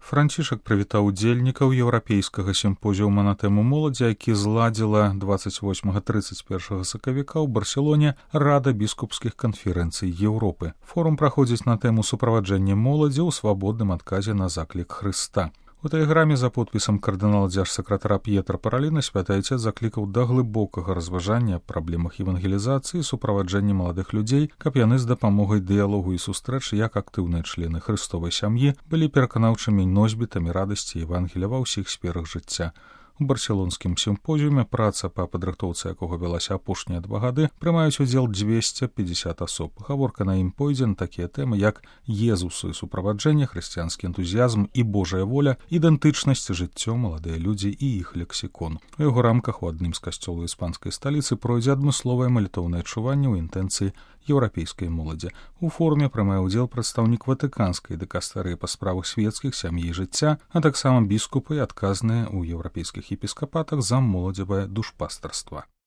Францішак прывітаў удзельнікаў еўрапейскага сімпозіума на тэму моладзі, які зладзіла 28-31 сакавіка ў Барселоне Рада біскупскіх канферэнцый Еўропы. Форум праходзіць на тэму суправаджэння моладзі ў свабодным адказе на заклік Хрыста. У тэлеграме за подпісам кардынала дзяржсакратара П'етра Параліна святы Айцец заклікаў да глыбокага разважання аб праблемах евангелізацыі і суправаджэння маладых людзей, каб яны з дапамогай дыялогу і сустрэч як актыўныя члены хрыстовай сям'і былі пераканаўчымі носьбітамі радасці Евангелія ва ўсіх сферах жыцця. У барселонскім сімпозіуме, праца па падрыхтоўцы якога вялася апошнія 2 гады, прымаюць удзел 250 асоб. Гаворка на ім пойдзе на такія тэмы, як Езусу і суправаджэнне, хрысціянскі энтузіязм і Божая воля, ідэнтычнасць, жыццё, маладыя людзі і іх лексікон. У яго рамках у адным з касцёлаў іспанскай сталіцы пройдзе адмысловае малітоўнае адчуванне ў інтэнцыі еўрапейскай моладзі. У форуме прымае ўдзел прадстаўнік ватыканскай дыкастарыі па справах свецкіх, сям'і і жыцця, а таксама біскупы і адказныя ў еўрапейскіх епіскапатах за моладзевае душпастарства.